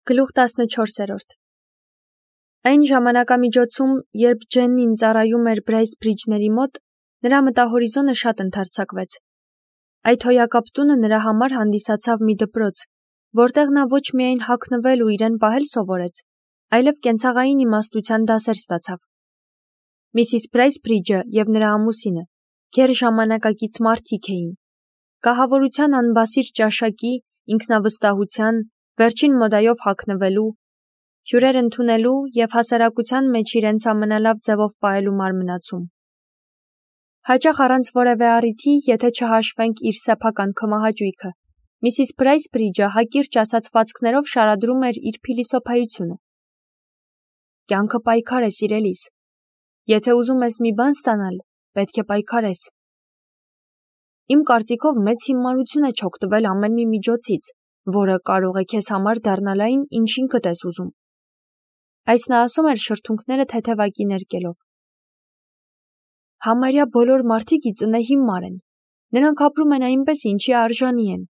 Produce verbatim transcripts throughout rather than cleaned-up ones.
Գլուխ տասնչորսերորդ Այն ժամանակամիջոցում, երբ Ջեննին ծառայում էր Բրեյսբրիջների մոտ, նրա մտահորիզոնը շատ ընդարձակվեց։ Այդ հոյակապ տունը նրա համար հանդիսացավ մի դպրոց, որտեղ նա ոչ միայն հագնվել ու իրեն պահել սովորեց, այլև կենցաղային իմաստության դասեր ստացավ։ Միսիս Բրեյսբրիջը և նրա ամուսինը գեր ժամանակակից մարդիկ էին, կահավորության անբասիր ճաշակի, ինքնավստահության, վերջին մոդայով հագնվելու, հյուրեր ընդունելու և հասարակության մեջ իրենց ամենալավ ձևով պահելու մարմնացում։ Հաճախ առանց որևէ առիթի, եթե չհաշվենք իր սեփական քմահաճույքը, Միսիս Բրեյսբրիջը հակիրճ ասացվածքներով շարադրում էր իր փիլիսոփայությունը։ Կյանքը պայքար է, սիրելիս։ Եթե ուզում ես մի բան ստանալ, պետք է պայքարես։ Իմ կարծիքով մեծ հիմարություն է չօգտվել ամեն մի միջոցից, որը կարող է քեզ համար դառնալ այն, ինչ ինքդ ես ուզում։ Այս նա ասում էր շրթունքները թեթևակի ներկելով։ Համարյա բոլոր մարդիկ ի ծնե հիմար են։ Նրանք ապրում են այնպես, ինչի արժանի են,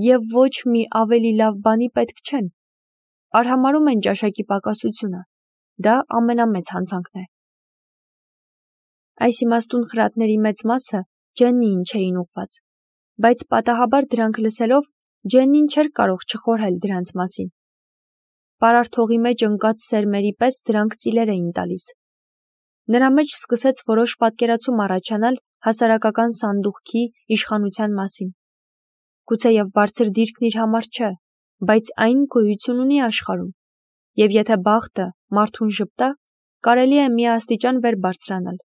և ոչ մի ավելի լավ բանի պետք չեն։ Արհամարհում են ճաշակի պակասությունը։ Դա ամենամեծ հանցանքն է։ Այս իմաստուն խրատների մեծ մասը Ջեննիին չէին ուղղված, բայց պատահաբար դրանք լսելով Ջեննին չէր կարող չխորհել դրանց մասին։ Պարարտ հողի մեջ ընկած սերմերի պես դրանք ծիլեր էին տալիս։ Նրա մեջ սկսեց որոշ պատկերացում առաջանալ հասարակական սանդուղքի իշխանության մասին։ Գուցեև բարձր դիրքն իր համար չէ, բայց այն գոյություն ունի աշխարհում, և եթե բախտը մարդուն ժպտա, կարելի է մի աստիճան վեր բարձրանալ։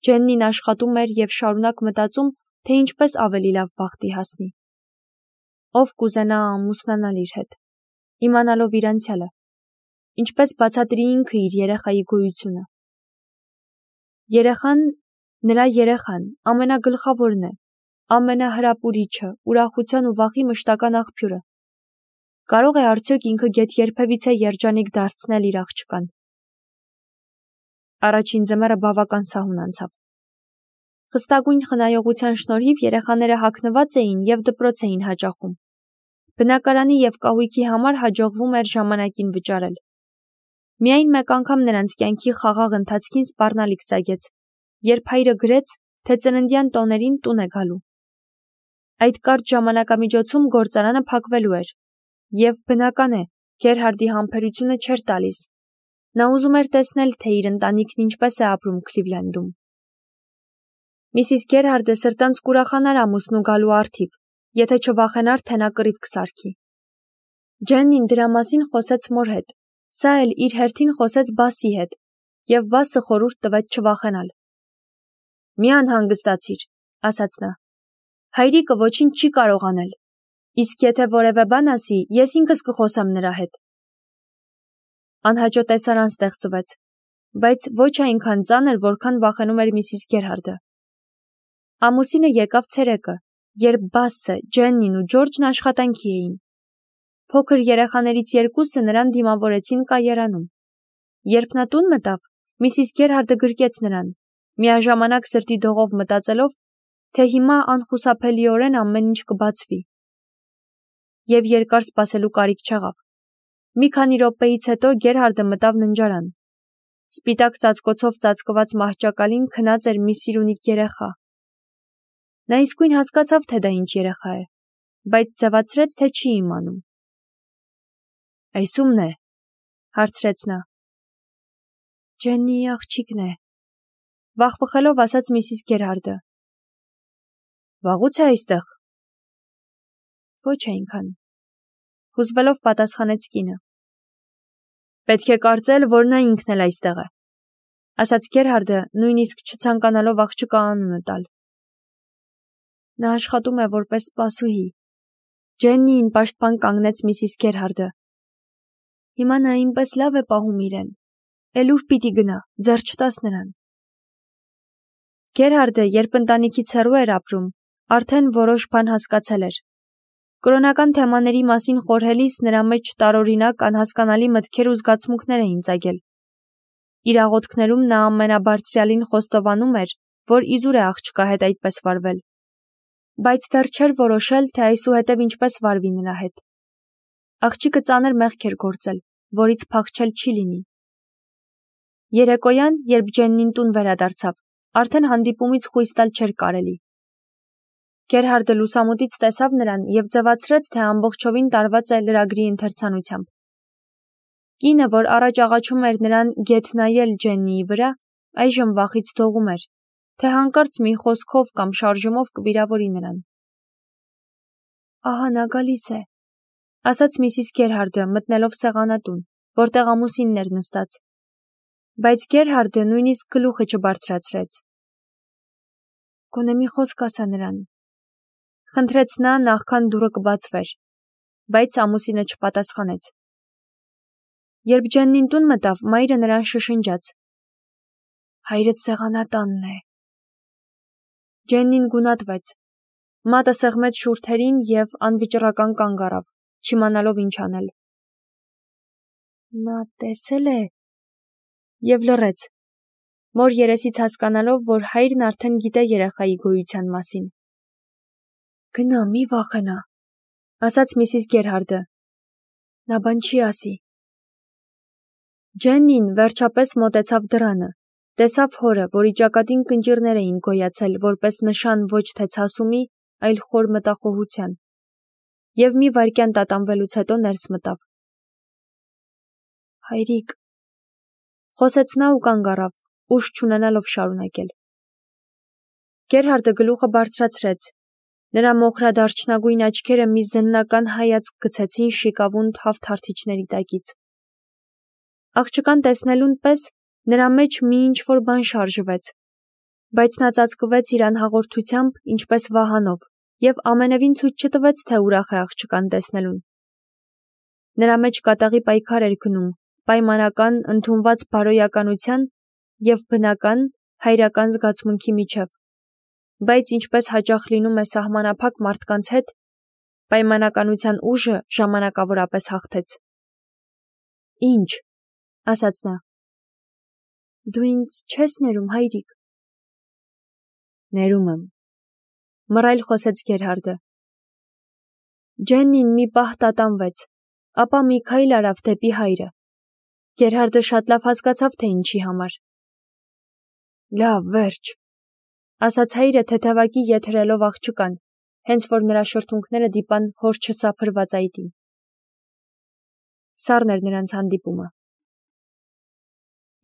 Ջեննին աշխատում էր և շարունակ մտածում, թե ինչպես ավելի լավ բախտի հասնի։ Ով կուզենա ամուսնանալ իր հետ, իմանալով իր անցյալը, ինչպես բացատրի ինքը իր երեխայի գոյությունը։ Երեխան, նրա երեխան, ամենագլխավորն է, ամենահրապուրիչը, ուրախության ու վախի մշտական աղբյուրը։ Կարող է արդյոք ինքը գեթ երբևիցե երջանիկ դարձնել իր աղջկան։ Առաջին ձմեռը բավական սահուն անցավ։ Խստագույն խնայողության շնորհիվ երեխաները հագնված էին և դպրոց էին հաճախում։ Բնակարանի և կահույքի համար հաջողվում էր ժամանակին վճարել։ Միայն մեկ անգամ նրանց կյանքի խաղաղ ընթացքին սպառնալիք ծագեց, երբ հայրը գրեց, թե ծննդյան տոներին տուն է գալու։ Այդ կարճ ժամանակամիջոցում գործարանը փակվելու էր, և բնական է, Գերհարդի համբերությունը չէր տալիս։ Նա ուզում էր տեսնել, թե իր ընտանիքն ինչպես է ապրում Քլիվլենդում։ Միսիս Գերհարդը սրտանց կուրախանար ամուսնու գալու առթիվ, եթե չվախենար, թե նա կռիվ կսարքի։ Ջեննին դրա մասին խոսեց մոր հետ, սա էլ իր հերթին խոսեց Բասի հետ, և Բասը խորհուրդ տվեց չվախենալ։ Մի անհանգստացիր, ասաց նա։ Հայրիկը ոչինչ չի կարող անել, իսկ եթե որևէ բան ասի, ես ինքս կխոսեմ նրա հետ։ Անհաճո տեսարան ստեղծվեց, բայց ոչ այնքան ծանր, որքան վախենում էր Միսիս Գերհարդը։ Ամուսինը եկավ ցերեկը, երբ Բասը, Ջեննին ու Ջորջն աշխատանքի էին։ Փոքր երեխաներից երկուսը նրան դիմավորեցին կայարանում։ Երբ նա տուն մտավ, Միսիս Գերհարդը գրկեց նրան, միաժամանակ սրտի դողով մտածելով, թե հիմա անխուսափելիորեն ամեն ինչ կբացվի։ Եվ երկար սպասելու կարիք չեղավ։ Մի քանի րոպեից հետո Գերհարդը մտավ ննջարան։ Սպիտակ ծածկոցով ծածկված մահճակալին քնած էր մի սիրունիկ երեխա։ Նա իսկույն հասկացավ, թե դա ինչ երեխա է, բայց ձևացրեց, թե չի իմանում։ Այս ո՞ւմն է, հարցրեց նա։ Ջեննիի աղջիկն է, վախվխելով ասաց Միսիս Գերհարդը։ Վաղուց է այստեղ։ Ոչ այնքան, հուզվելով պատասխանեց կինը։ Պետք է կարծել, որ նա ինքն էլ այստեղ է, ասաց Գերհարդը, նույնիսկ չցանկանալով աղջկա անունը տալ։ Նա աշխատում է որպես սպասուհի։ Ջեննիին պաշտպան կանգնեց Միսիս Գերհարդը։ Հիմա նա այնպես լավ է պահում իրեն, էլ ուր պիտի գնա, ձեռ չտաս նրան։ Գերհարդը, երբ ընտանիքից հեռու էր ապրում, արդեն որոշ բան հասկացել էր։ Կրոնական թեմաների մասին խորհելիս նրա մեջ տարօրինակ, անհասկանալի մտքեր ու զգացմունքներ էին ծագել։ Իր աղոթքներում նա ամենաբարձրյալին խոստովանում էր, որ իզուր է աղջկա հետ այդպես վարվել։ Բայց դեռ չէր որոշել, թե այսուհետև ինչպես վարվի նրա հետ։ Աղջիկը ծանր մեղք էր գործել, որից փախչել չի լինի։ Երեկոյան, երբ Ջեննին տուն վերադարձավ, արդեն հանդիպումից խույս տալ չէր կարելի։ Գերհարդը լուսամուտից տեսավ նրան և ձևացրեց, թե ամբողջովին տարված է լրագրի ընթերցանությամբ։ Կինը, որ առաջ աղաչում էր նրան գեթ նայել Ջեննիի վրա, այժմ վախից դողում էր, թե հանկարծ մի խոսքով կամ շարժումով կվիրավորի նրան։ Ահա նա գալիս է, ասաց Միսիս Գերհարդը, մտնելով սեղանատուն, որտեղ ամուսինն էր նստած։ Բայց Գերհարդը նույնիսկ գլուխը չբարձրացրեց։ Գոնե մի խոսք ասա նրան, խնդրեց նա, նախքան դուռը կբացվեր, բայց ամուսինը չպատասխանեց։ Երբ Ջեննին տուն մտավ, մայրը նրան շշնջաց. Հայրդ սեղանատանն է։ Ջեննին գունատվեց, մատը սեղմեց շուրթերին և անվճռական կանգ առավ, չիմանալով ինչ անել։ Նա տեսել է և լռեց, մոր երեսից հասկանալով, որ հայրն արդեն գիտե երեխայի գոյության մասին։ Գնա, մի վախենա, ասաց Միսիս Գերհարդը։ Նա բան չի ասի։ Ջեննին վերջապես մոտեցավ դռանը, տեսավ հորը, որի ճակատին կնճիռներ էին գոյացել որպես նշան ոչ թե ցասումի, այլ խոր մտախոհության, և մի վայրկյան տատանվելուց հետո ներս մտավ։ Հայրիկ, խոսեց նա ու կանգ առավ, ուժ չունենալով շարունակել։ Գերհարդը գլուխը բարձրացրեց, նրա մոխրադարչնագույն աչքերը մի զննական հայացք գցեցին շիկավուն թավ թարթիչների տակից։ Աղջկան տեսնելուն պես նրա մեջ մի ինչ-որ բան շարժվեց, բայց նա ծածկվեց իր անհաղորդությամբ, ինչպես վահանով, և ամենևին ցույց չտվեց, թե ուրախ է աղջկան տեսնելուն։ Նրա մեջ կատաղի պայքար էր գնում, պայմանական, ընդունված բարոյականության և բնական, հայրական զգացմունքի միջև, բայց ինչպես հաճախ լինում է սահմանափակ մարդկանց հետ, պայմանականության ուժը ժամանակավորապես հաղթեց։ Ինչ, ասաց նա։ Դու ինձ չես ներում, հայրիկ։ Ներում եմ, մռայլ խոսեց Գերհարդը։ Ջեննին մի պահ տատանվեց, ապա մի քայլ արավ դեպի հայրը։ Գերհարդը շատ լավ հասկացավ, թե ինչի համար։ Լավ, վերջ, ասաց հայրը թեթևակի ետ հրելով աղջկան, հենց որ նրա շրթունքները դիպան հոր չսափրված այտին։ Սառն էր նրանց հանդիպումը։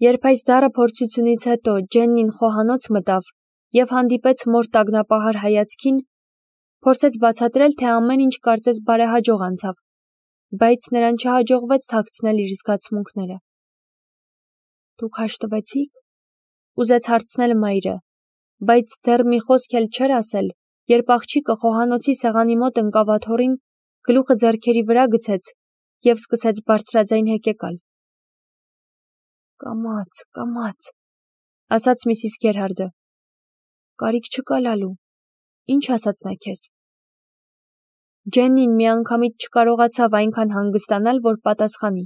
Երբ այս դառը փորձությունից հետո Ջեննին խոհանոց մտավ և հանդիպեց մոր տագնապահար հայացքին, փորձեց բացատրել, թե ամեն ինչ կարծես բարեհաջող անցավ, բայց նրան չհաջողվեց թաքցնել իր զգացմունքները։ Դուք հաշտվեցի՞ք, ուզեց հարցնել մայրը, բայց դեռ մի խոսք էլ չէր ասել, երբ աղջիկը խոհանոցի սեղանի մոտ ընկավ աթոռին, գլուխը ձեռքերի վրա գցեց և սկսեց բարձրաձայն հեկեկալ։ Կամաց, կամաց, ասաց Միսիս Գերհարդը։ Կարիք չկա լալու, ինչ ասաց նա քեզ։ Ջեննին միանգամից չկարողացավ այնքան հանգստանալ, որ պատասխանի։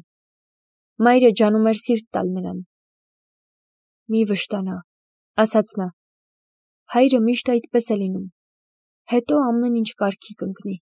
Մայրը ջանում էր սիրտ տալ նրան։ Մի վշտանա, ասաց նա։ Հայրը միշտ այդպես է լինում, հետո ամեն ինչ կարգի կընկնի։